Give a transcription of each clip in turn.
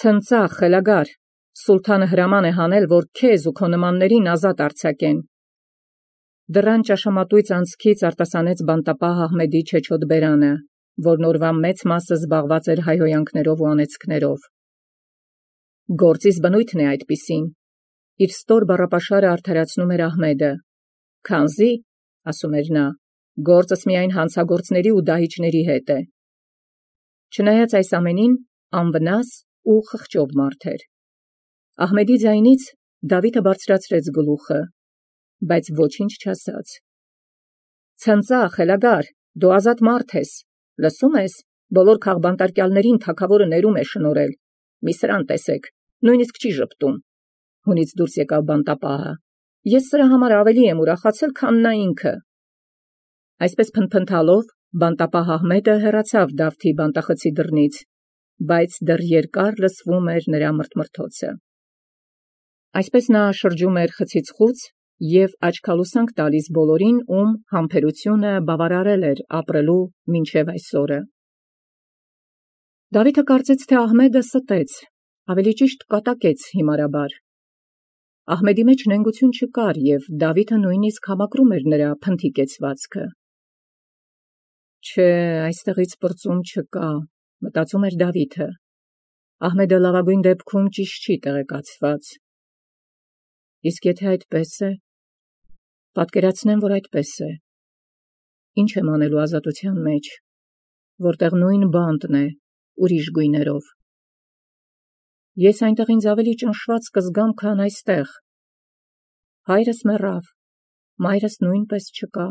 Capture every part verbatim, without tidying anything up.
Ցնծա խելագար, սուլթանը հրաման է հանել, որ քեզ ու քո նմաններին ազատ արձակեն։ Դռան ճաշամատույց անցքից արտասանեց բանտապահ Ահմեդի չեչոտ բերանը, որ նորվա մեծ մասը զբաղված էր հայհոյանքներով ու անեծքներով։ Գործիս բնույթն է այդպիսին, իր ստոր բառապաշարը արդարացնում էր Ահմեդը։ Քանզի, ասում էր նա, գործս միայն հանցագործների ու դահիճների հետ է։ Չնայած այս ամենին, անվնաս ու խղճով մարդ էր։ Ահմեդի ձայնից Դավիթը բարձրացրեց գլուխը, բայց ոչինչ չասաց։ Ցնծա խելագար, դու ազատ մարդ ես, լսում ես, բոլոր քաղբանտարկյալներին թագավորը ներում է շնորհել, մի սրան տեսեք, նույնիսկ չի ժպտում։ Հունից դուրս եկավ բանտապահը։ Ես սրա համար ավելի եմ ուրախացել, քան նա ինքը։ Այսպես փնփնթալով բանտապահ Ահմեդը հեռացավ Դավթի բանտախցի դռնից, բայց դեռ երկար լսվում էր նրա մրթմրթոցը։ Այսպես նա շրջում էր խցից խուց և աչքալուսանք տալիս բոլորին, ում համբերությունը բավարարել էր ապրելու մինչև այսօրը։ Դավիթը կարծեց, թե Ահմեդը ստեց, ավելի ճիշտ կատակեց հիմարաբար։ Ահմեդի մեջ նենգություն չկար, և Դավիթը նույնիսկ համակրում էր նրա փնթի կեցվածքը։ Չէ, այստեղից պրծում չկա, մտածում էր Դավիթը։ Ահմեդը լավագույն դեպքում ճիշտ չի տեղեկացված։ Իսկ եթե այդպես է, պատկերացնեմ, որ այդպես է։ Ինչ եմ անելու ազատության մեջ, որտեղ նույն բանտն է, ուրիշ գույներով։ Ես այնտեղ ինձ ավելի ճնշված կզգամ, քան այստեղ։ Հայրս մեռավ, մայրս նույնպես չկա։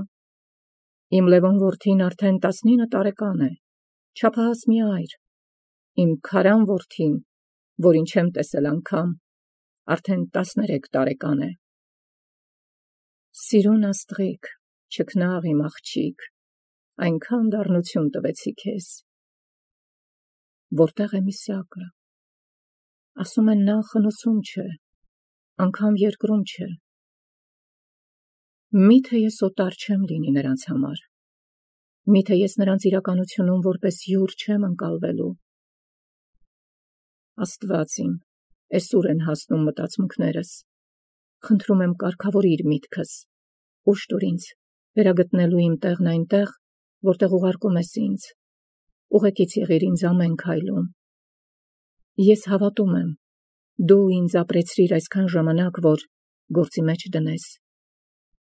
Իմ Լևոն որդին արդեն տասնինը տարեկան է, չափահաս մի այր։ Իմ Քարան որդին, որին չեմ տեսել անգամ, արդեն տասներեք տարեկան է։ Սիրուն աստղիկ, չքնաղ իմ աղջիկ, այնքան դառնություն տվեցի քեզ։ Որտեղ է Միսակը։ Ասում են նա խնուսում չէ, անգամ երկրում չէ։ Միթե ես օտար չեմ լինի նրանց համար։ Միթե ես նրանց իրականությունում որպես յուր չեմ ընկալվելու։ Աստված իմ, էսուր են հասնում մտածմունքներս։ Խնդրում եմ կարգավորիր միտքս, ուշ տուր ինձ, վերագտնելու իմ տեղն այնտեղ, որտեղ ուղարկում ես ինձ, ուղեկից եղիր ինձ ամեն քայլում։ Ես հավատում եմ, դու ինձ ապրեցրիր այսքան ժամանակ, որ գործի մեջ դնես։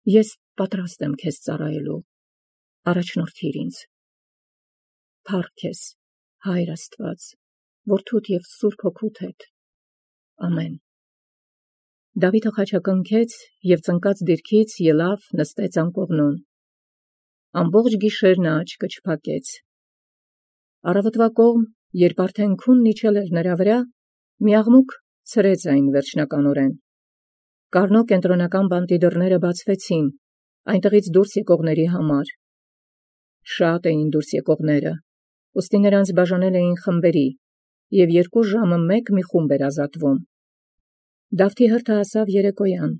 Ես պատրաստ եմ քեզ ծառայելու, առաջնորդիր ինձ։ Փառք քեզ, Հայր Աստված, Որդուդ և Սուրբ Հոգուդ հետ։ Ամեն։ Դավիթը խաչակնքեց և ծնկած դիրքից ելավ, նստեց անկողնուն։ Ամբողջ գիշեր նա աչքը չփակեց։ Առավոտվա կողմ, երբ արդեն քունն իջել էր նրա վրա, մի աղմուկ ցրեց այն վերջնականորեն։ Կարնո կենտրոնական բանտի դռները բացվեցին, այնտեղից դուրս եկողների համար։ Շատ էին դուրս եկողները, ուստի նրանց բաժանել էին խմբերի, և երկու ժամը մեկ մի խումբ էր ազատվում։ Դավթի հրթը հասավ երեկոյան։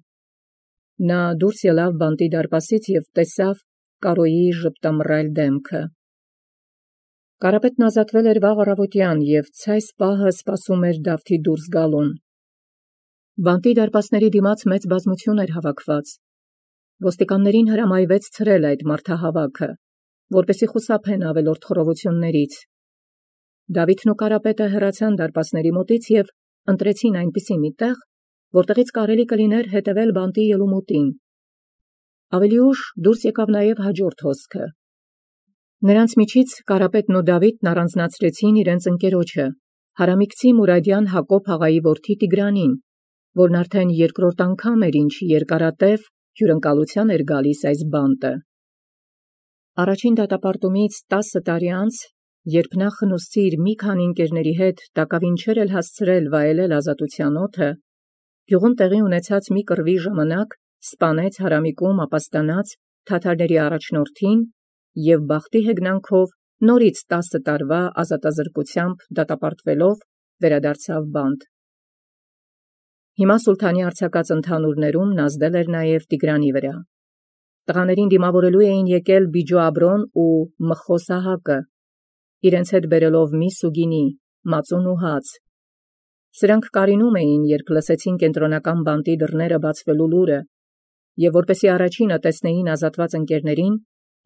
Նա դուրս ելավ բանտի դարպասից և տեսավ Կարոյի ժպտամռայլ դեմքը։ Կարապետն ազատվել էր վաղ առավոտյան և ցայս պահը սպասում էր Դավթի դուրս գալուն։ Բանտի դարպասների դիմաց մեծ բազմություն էր հավաքված։ Ոստիկաններին հրամայվեց ցրել այդ մարդահավաքը, որպեսզի խուսափեն ավելորդ խռովություններից։ Դավիթն ու Կարապետը հեռացան դարպասների մոտից և ընտրեցին այնպիսի մի տեղ, որտեղից կարելի կլիներ հետևել բանտի ելումուտին։ Ավելի ուշ դուրս եկավ նաև հաջորդ հոսքը։ Նրանց միջից Կարապետն ու Դավիթն առանձնացրեցին իրենց ընկերոջը, հարամիկցի Մուրադյան Հակոբ աղայի որդի Տիգրանին, որն արդեն երկրորդ անգամ էր, ինչ երկարատև հյուրընկալության էր գալիս այս բանտը։ Առաջին դատապարտումից տասը տարի անց, երբ նա խնուսցի իր մի քանի ընկերների հետ տակավին չէր էլ հասցրել վայելել ազատության օդը, գյուղում տեղի ունեցած մի կռվի ժամանակ սպանեց հարամիկում ապաստանած թաթարների առաջնորդին և բախտի հեգնանքով նորից տասը տարվա ազատազրկությամբ դատապարտվելով վերադարձավ բանտ։ Հիմա սուլթանի արձակած ընդհանուրներում նազդել էր նաև Տիգրանի վրա։ Տղաներին դիմավորելու էին եկել Բիջո Աբրոն ու Մխոս Սահակը, իրենց հետ բերելով միս ու գինի, մածուն ու հաց, Սրանք կարինում էին, երբ լսեցին կենտրոնական բանտի դռները բացվելու լուրը, եւ որպեսի առաջինը տեսնեին ազատված ընկերներին,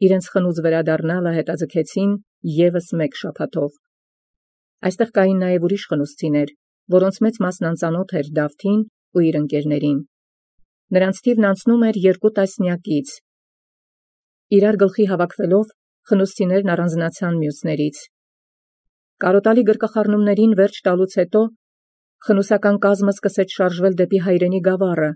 իրենց խնուց վերադառնալը հետաձգեցին եւս մեկ շաբաթով։ Այստեղ կային նաեւ ուրիշ խնուսցիներ, որոնց մեծ մասն անծանոթ էր Դավթին ու իր ընկերներին։ Նրանց թիվն անցնում էր երկու տասնյակից։ Իրար գլխի հավաքվելով, խնուսցիներն առանձնացան մյուսներից։ Կարոտալի գրկախառնումներին վերջ տալուց հետո խնուսական կազմը սկսեց շարժվել դեպի հայրենի գավառը,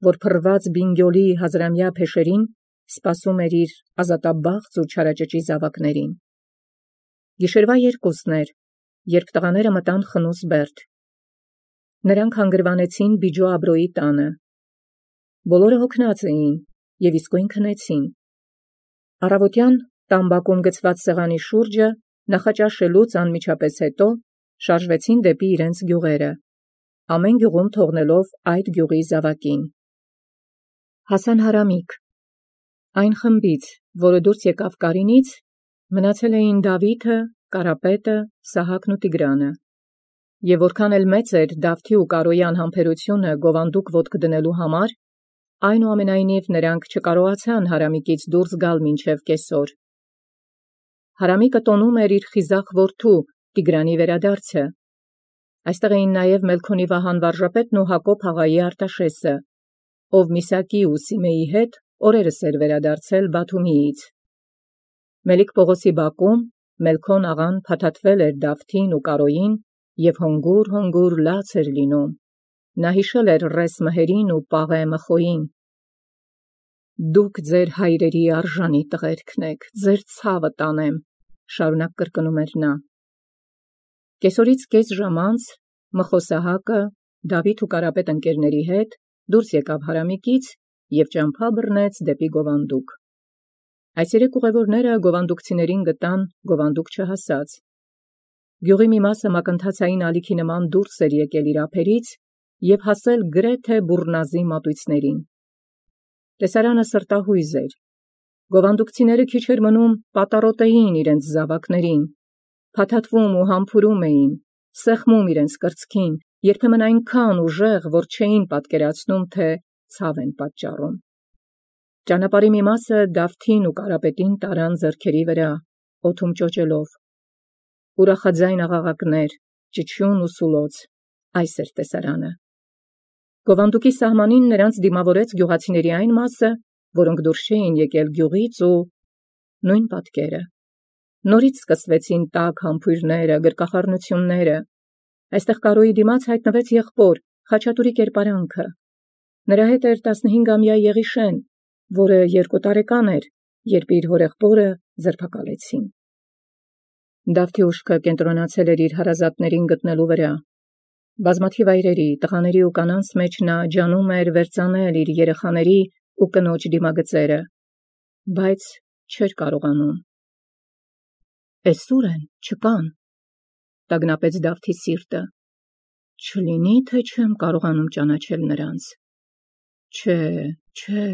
որ փռված Բինգյոլի հազարամյա փեշերին սպասում էր իր ազատաբախծ ու չարաճճի զավակներին։ Գիշերվա երկուսն էր, երբ տղաները մտան խնուս Բերդ։ Նրանք հանգրվանեցին Բիջո Աբրոյի տանը։ Բոլորը հոգնած էին եւ իսկույն քնեցին։ Առավոտյան տամբակում գցված սեղանի շուրջը նախաճաշելուց անմիջապես հետո շարժվեցին դեպի իրենց գյուղերը, ամեն գյուղում թողնելով այդ գյուղի զավակին։ Հասան Հարամիկ։ Այն խմբից, որը դուրս եկավ Կարինից, մնացել էին Դավիթը, Կարապետը, Սահակն ու Տիգրանը։ Եվ որքան էլ մեծ էր Դավթի ու Կարոյի անհամբերությունը գովանդուկ ոտք դնելու համար, այնուամենայնիվ նրանք չկարողացան Հարամիկից դուրս գալ մինչև կեսօր։ Հարամիկը տոնում էր իր խիզախ որդու Տիգրանի վերադարձը։ Այստեղ էին նաև Մելքոնի Վահան վարժապետն ու Հակոբ աղայի Արտաշեսը, ով Միսակի ու Սիմեի հետ օրերս էր վերադարձել Բաթումիից։ Մելիք Պողոսի բակում Մելքոն աղան փաթաթվել էր Դավթին ու Կարոյին եւ հոնգուր-հոնգուր լաց էր լինում։ Նա հիշել էր Ռես Մհերին ու Պաղե Մխոյին։ Դուք ձեր հայրերի արժանի տղերքն եք, ձեր ցավը տանեմ, շարունակ կրկնում էր նա։ Կեսօրից կես ժամ անց Մխոսահակը Դավիթ ու Կարապետ ընկերների հետ դուրս եկավ Հարամիկից եւ ճամփա բռնեց դեպի Գովանդուկ։ Այս երեք ուղևորները գովանդուկցիներին գտան գովանդուկ չհասած։ Գյուղի մի մասը մակընթացային ալիքի նման դուրս էր եկել իր ափերից եւ հասել գրեթե բուռնազի մատույցներին։ Տեսարանը սրտահույզ էր։ Գովանդուկցիները քիչ էր մնում պատառոտեին իրենց զավակներին, փաթաթվում ու համբուրում էին, սեղմում իրենց կրծքին, երբեմն այնքան ուժեղ, որ չէին պատկերացնում, թե ցավ են պատճառում։ Ճանապարհի մի մասը Դավթին ու Կարապետին տարան ձեռքերի վրա, օդում ճոճելով։ Ուրախաձայն աղաղակներ, ճչյուն ու սուլոց, այս էր տեսարանը։ Գովանդուկի սահմանին նրանց դիմավորեց գյուղացիների այն մասը, որոնք դուրս չէին եկել գյուղից ու նույն պատկերը։ Նորից սկսվեցին տաք համբույրները, գրկախառնությունները։ Այստեղ Կարոյի դիմաց հայտնվեց եղբոր Խաչատուրի կերպարանքը։ Նրա հետ էր տասնհինգամյա Եղիշեն, որը երկու տարեկան էր, երբ իր հորեղբորը ձերբակալեցին։ Դավթի ուշքը կենտրոնացել էր իր հարազատներին գտնելու վրա։ Բազմաթիվ այրերի, տղաների ու կանանց մեջ նա ջանում էր վերծանել իր երեխաների ու կնոջ դիմագծերը, բայց չէր կարողանում։ Էսուր են, չկան, տագնապեց Դավթի սիրտը։ Չլինի, թե չեմ կարողանում ճանաչել նրանց։ Չէ, չէ,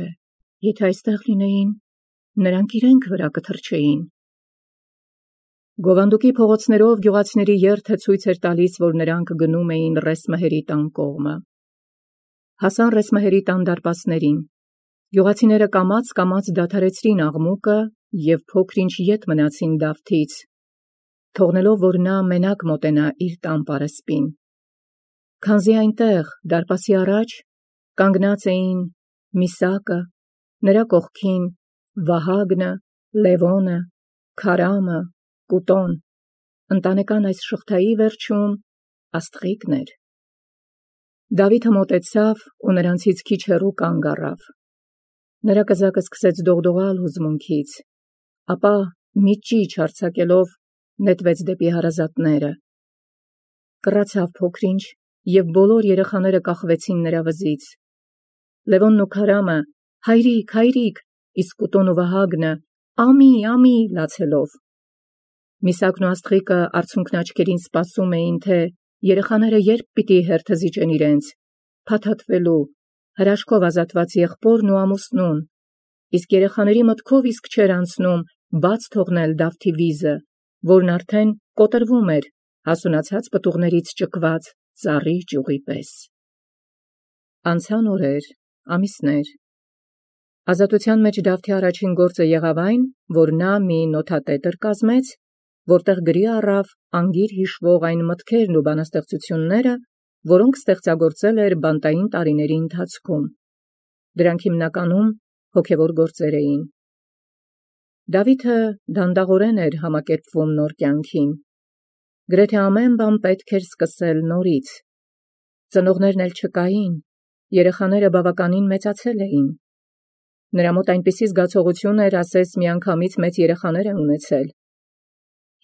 եթե այստեղ լինեին, նրանք իրենք վրա կթռչեին։ Գովանդուկի փողոցներով գյուղացիների երթը ցույց էր տալիս, որ նրանք գնում էին Ռես Մհերի տան կողմը։ Հասան Ռես Մհերի տան դարպասներին։ Գյուղացիները կամաց-կամաց դադարեցրին աղմուկը եւ փոքր-ինչ ետ մնացին Դավթից, թողնելով, որ նա մենակ մոտենա իր տան պարսպին։ Քանզի այնտեղ, դարպասի առաջ, կանգնած էին Միսակը, նրա կողքին Վահագնը, Լևոնը, Քարամը, Կուտոն, ընտանեկան այս շղթայի վերջում Աստղիկն էր։ Դավիթը մոտեցավ ու նրանցից քիչ հեռու կանգ առավ։ Նրա կզակը սկսեց դողդողալ հուզմունքից, ապա մի ճիչ արձակելով նետվեց դեպի հարազատները։ Կռացավ փոքր-ինչ եւ բոլոր երեխաները կախվեցին նրա վզից։ Լևոնն ու Քարամը հայրիկ, հայրիկ, իսկ Կուտոն ու Վահագնը ամի, ամի լացելով։ Միսակն ու Աստղիկը արցունքն աչքերին սպասում էին, թե երեխաները երբ պիտի հերթը զիջեն իրենց, փաթաթվելու, հրաշքով ազատված եղբորն ու ամուսնուն, իսկ երեխաների մտքով իսկ չէր անցնում բաց թողնել Դավթի վիզը, որն արդեն կոտրվում էր հասունացած պտուղներից ճկված ծառի ճյուղի պես։ Անցան օրեր, ամիսներ։ Ազատության մեջ Դավթի առաջին գործը եղավ այն, որ նա մի նոթատետր կազմեց, որտեղ գրի առավ անգիր հիշվող այն մտքերն ու բանաստեղծությունները, որոնք ստեղծագործել էր բանտային տարիների ընթացքում։ Դրանք հիմնականում հոգևոր գործեր էին։ Դավիթը դանդաղորեն էր համակերպվում նոր կյանքին։ Գրեթե ամեն բան պետք էր սկսել նորից։ Ծնողներն էլ չկային, երեխաները բավականին մեծացել էին։ Նրա մոտ այնպիսի զգացողություն էր, ասես միանգամից մեծ երեխաներ է ունեցել։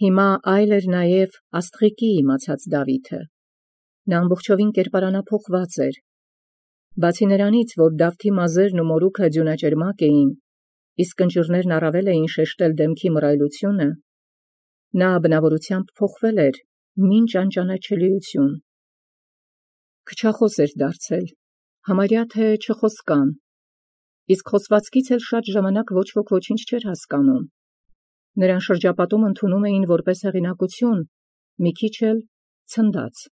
Հիմա այլ էր նաև Աստղիկի իմացած Դավիթը։ Նա ամբողջովին կերպարանափոխված էր։ Բացի նրանից, որ Դավթի մազերն ու մորուքը ձյունաճերմակ էին, իսկ կնճիռներն առավել էին շեշտել դեմքի մռայլությունը, նա բնավորությամբ փոխվել էր մինչ անճանաչելիություն։ Քչախոս էր դարձել, համարյա թե չխոսկան, իսկ խոսվածքից էլ շատ ժամանակ ոչ ոք ոչինչ չէր հասկանում։ Նրան շրջապատում ընդունում էին որպես հեղինակություն, մի քիչ էլ ցնդած։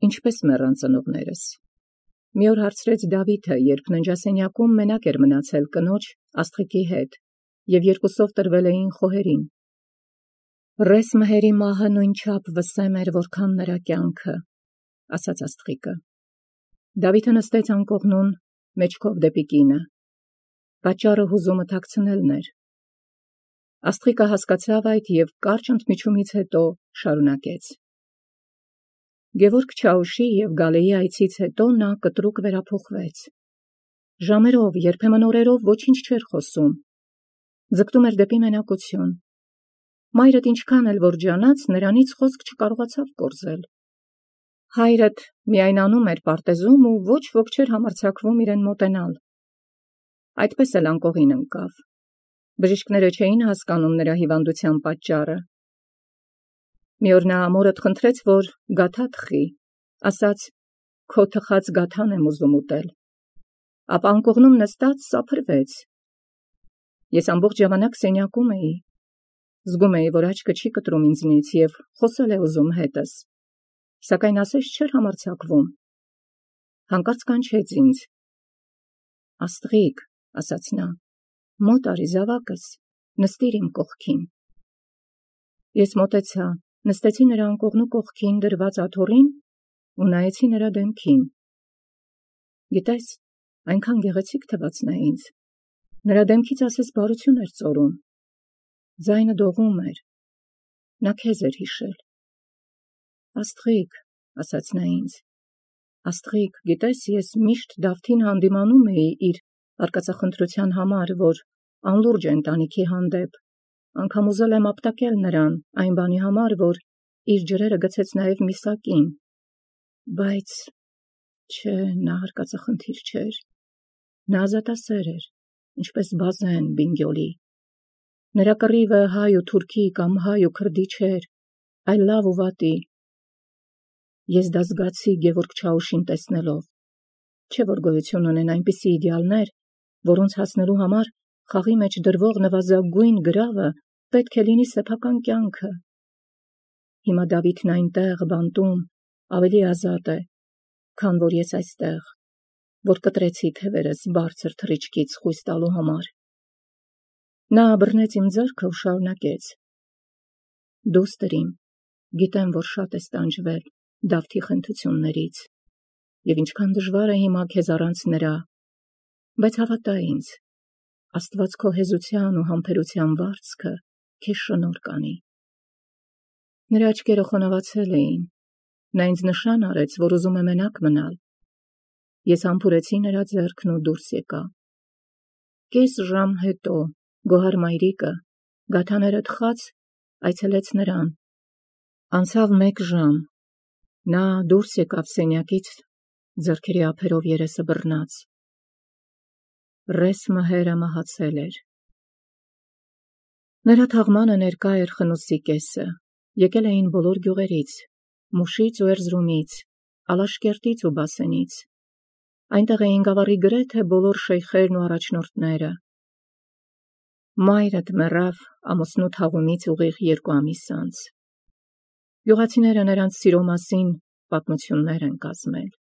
Ինչպես մեռան ծնողներս։ Մի օր հարցրեց Դավիթը, երբ ննջասենյակում մենակ էր մնացել կնոջ Աստղիկի հետ, և երկուսով տրվել էին խոհերին։ Ռես մհերի մահը նույնչափ վսեմ էր, որքան նրա կյանքը, ասաց Աստղիկը։ Դավիթը նստեց անկողնուն, մեջքով դեպի կինը։ Պատճառը հուզումը թաքցնելն էր։ Աստղիկը հասկացավ այդ և կարճ ընդմիջումից հետո շարունակեց. Գևորգ Չաուշի և Գալեի այցից հետո նա կտրուկ վերափոխվեց։ Ժամերով, երբեմն օրերով ոչինչ չէր խոսում։ Ձգտում էր դեպի մենակություն։ Մայրդ ինչքան էլ որ ջանաց, նրանից խոսք չկարողացավ կորզել։ Հայրդ միայն անում էր պարտեզում ու ոչ ոք չէր համարձակվում իրեն մոտենալ։ Այդպես էլ անկողին ընկավ։ Բժիշկները չէին հասկանում նրա հիվանդության պատճառը։ Մի օր նա մորդ խնդրեց, որ գաթա թխի, ասաց. «Քո թխած գաթան եմ ուզում ուտել»։ Ապա անկողնում նստած սափրվեց։ Ես ամբողջ ժամանակ սենյակում էի։ Զգում էի, որ աչքը չի կտրում ինձնից և խոսել է ուզում հետս, սակայն ասես չէր համարձակվում։ Հանկարծ կանչեց ինձ. «Աստղիկ», ասաց նա, «մոտ արի զավակս, նստիր իմ կողքին»։ Ես մոտեցա, նստեցի նրա անկողնու կողքին դրված աթոռին ու նայեցի նրա դեմքին։ Գիտես, այնքան գեղեցիկ թվաց նա ինձ։ Նրա դեմքից ասես բարություն էր ծորում։ Ձայնը դողում էր։ Նա քեզ էր հիշել։ Աստղիկ, ասաց նա ինձ, Աստղիկ, գիտես, ես միշտ Դավթին հանդիմանում էի իր արկածախնդրության համար, որ անլուրջ է ընտանիքի հանդեպ, անգամ ուզել եմ ապտակել նրան այն բանի համար, որ իր ջրերը գցեց նաև Միսակին, բայց չէ, նա արկածախնդիր չէր, նա ազատասեր էր, ինչպես Բազեն Բինգյոլի։ Նրա կռիվը հայ ու թուրքի կամ հայ ու քրդի չէր, այլ լավ ու վատի։ Ես դա զգացի Գևորգ Չաուշին տեսնելով, չէ որ գոյություն ունեն այնպիսի իդեալներ, որոնց հասնելու համար խաղի մեջ դրվող նվազագույն գրավը պետք է լինի սեփական կյանքը։ Հիմա Դավիթն այնտեղ, բանտում, ավելի ազատ է, քան որ ես այստեղ, որ կտրեցի թևերս բարձր թռիչքից խույս տալու համար։ Նա բռնեց իմ ձեռքը ու շարունակեց. Դուստր իմ, գիտեմ, որ շատ ես տանջվել Դավթի խնդություններից, և ինչքան դժվար է հիմա քեզ առանց նրա, բայց հավատա ինձ, Աստված քո հեզության ու համբերության վարձքը քեզ շնորհ կանի։ Նրա աչքերը խոնավացել էին, նա ինձ նշան արեց, որ ուզում է մենակ մնալ։ Ես համբուրեցի նրա ձեռքն ու դուրս եկա։ Կես ժամ հետո Գոհար մայրիկը, գաթաները թխած, այցելեց նրան։ Անցավ մեկ ժամ, նա դուրս եկավ սենյակից, ձեռքերի ափերով երեսը բռնած։ Ռես մհերը մահացել էր։ Նրա թաղմանը ներկա էր խնուսի կեսը, եկել էին բոլոր գյուղերից, Մուշից ու Էրզրումից, Ալաշկերտից ու Բասենից։ Այնտեղ էին գավառի գրեթե բոլոր շեյխերն ու առաջնորդները։ Մայրդ մեռավ ամուսնու թաղումից ուղիղ երկու ամիս անց։ Գյուղացիները նրանց սիրո մասին պատմություններ են կազմել։